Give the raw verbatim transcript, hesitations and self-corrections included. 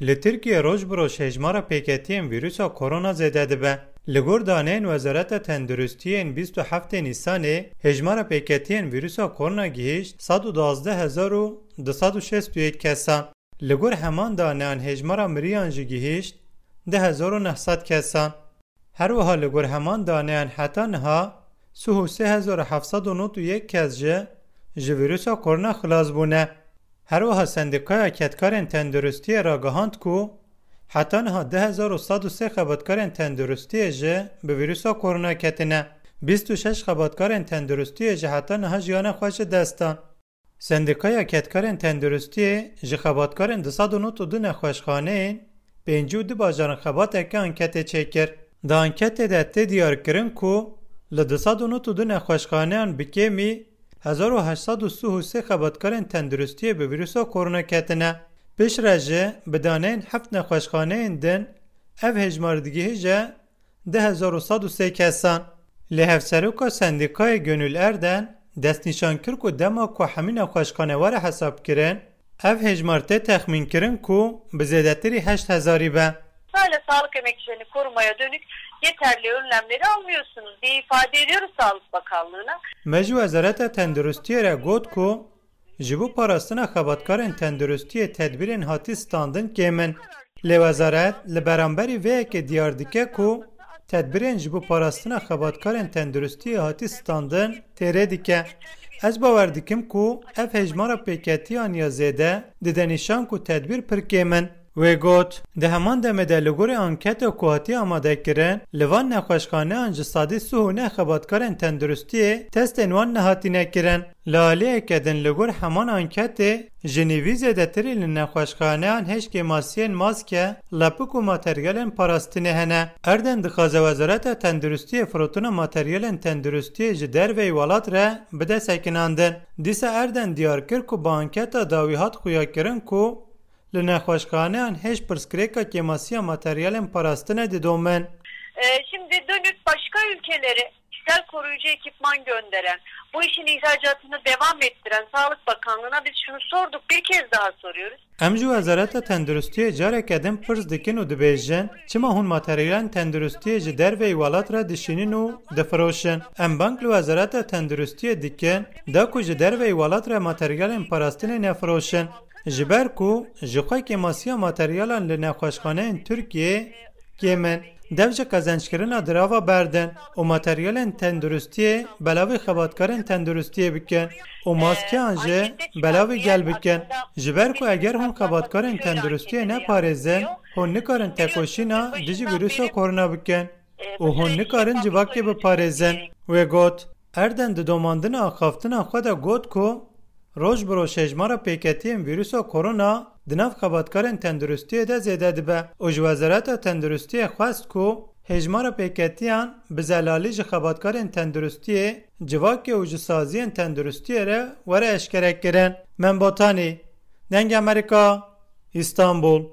Li Tirkiyê roj bi roj hejmara pêketiyên vîrusa korona zêde dibe. Li gor daneyên Wezareta Tenduristiyê yên bîst û heftê Nîsanê, hejmara pêketiyên vîrusa korona gihîşt sed û duwazdeh hezar û du sed û şêst û yek kesan. Li gor heman daneyan hejmara miriyan jî gihîşt du hezar û neh sed kesan. Her wiha li gor heman daneyan heta niha sih û sê hezar û heft sed û nod û yek kes jî ji vîrusa korona xilas bûne. Her wiha Sendîkaya Kedkarên Tenduristiyê ragihand ku heta niha du hezar û sed û sê xebatkarên tenduristiyê jî bi vîrusa korona ketine. Bîst û şeş xebatkarên tenduristiyê jî heta niha jiyana xwe ji dest dan. Sendîkaya Kedkarên Tenduristiyê ji xebatkarên du sed û nod û du nexweşxaneyên pêncî û du bajaran xebateke anketê çêkir. Di anketê de tê diyarkirin ku li du sed û nod û du nexweşxaneyan bi kêmî hezar û heşt sed û sih û sê xebatkarên tenduristiyê bi vîrusa korona ketine. Piştre jî bi daneyên heft nexweşxaneyên din ev hejmar digihîje du hezar û sed û sê kesan. Lê Hevseroka Sendîkayê Gönül Erden destnîşan kir ku dema ku hemî nexweşxane were hesabkirin, ev hejmar tê texmînkirin ku bi zêdetirî heşt hezarî be. Sırayla sağlık emekçilerini korumaya dönük yeterli önlemleri almıyorsunuz diye ifade ediyoruz Sağlık Bakanlığı'na. Me ji Wezareta Tenduristiyê re got ku ji bo parastina xebatkarên tenduristiyê tedbîrên hatî standin kêm in. Lê wezaret li beramberî vê yekê diyar dike ku tedbîrên ji bo parastina xebatkarên tenduristiyê hatî standin têrê dike. Ez bawer dikim ku ev hejmara pêketiyan ya zêde dide nîşan ku tedbîr pir kêm in. Wê got, di heman demê de li gorî anketa ku hatiye amadekirin, li van nexweşxaneyan ji sedî sih û neh xebatkarên tenduristiyê testên wan nehatîne kirin. Li aliyeke din li gor heman anketê, ji nîvî zêdetirî li nexweşxaneyan hêj kêmasiyên maske, lepik û materyalên parastinê hene. Erden dixwaze Wezareta Tenduristiyê firotina materyalên tenduristiyê ji derveyî welat re bide sekinandin. Dîsa Erden diyar kir ku bi anketa dawî hat xuyakirin ku li nexweşxaneyan hêj pirsgirêka kêmasiya materyalên parastinê didomin. Ee, şimdi dönüp başka ülkelere kişisel koruyucu ekipman gönderen, bu işin ihracatını devam ettiren Sağlık Bakanlığı'na biz şunu sorduk, bir kez daha soruyoruz. Em ji Wezareta Tenduristiyê careke din pirs dikin û dibêjin, çima hûn materyalên tenduristiyê ji derveyî welat re dişînin û difiroşin? Em bang li Wezareta Tenduristiyê dikin, da ku ji derveyî welat re materyalên parastinê nefiroşin. Ji ber ku ji xwe kêmasiya materyalan li nexweşxaneyên Tirkiyê kêm in. Dev ji qezenckirina dirava berdin û materyalên tenduristiyê belavî xebatkarên tenduristiyê bikin û maskeyan jî belavî gel bikin. Ji ber ku eger hûn xebatkarên tenduristiyê neparêzin, hûn nikarin tekoşîna dijî vîrusa korona bikin û hûn nikarin civakê biparêzin. Wê got. Erden di domandina axaftina xwe de got ku roj bi roj hejmara pêketiyên vîrusa korona di nav xebatkarên tenduristiyê de zêde dibe û ji Wezareta Tenduristiyê xwest ku hejmara pêketiyan bi zelalî ji xebatkarên tenduristiyê, civakê û ji saziyên tenduristiyê re were eşkerekirin. Mem Botanî, Dengê Amerîka, Îstanbul.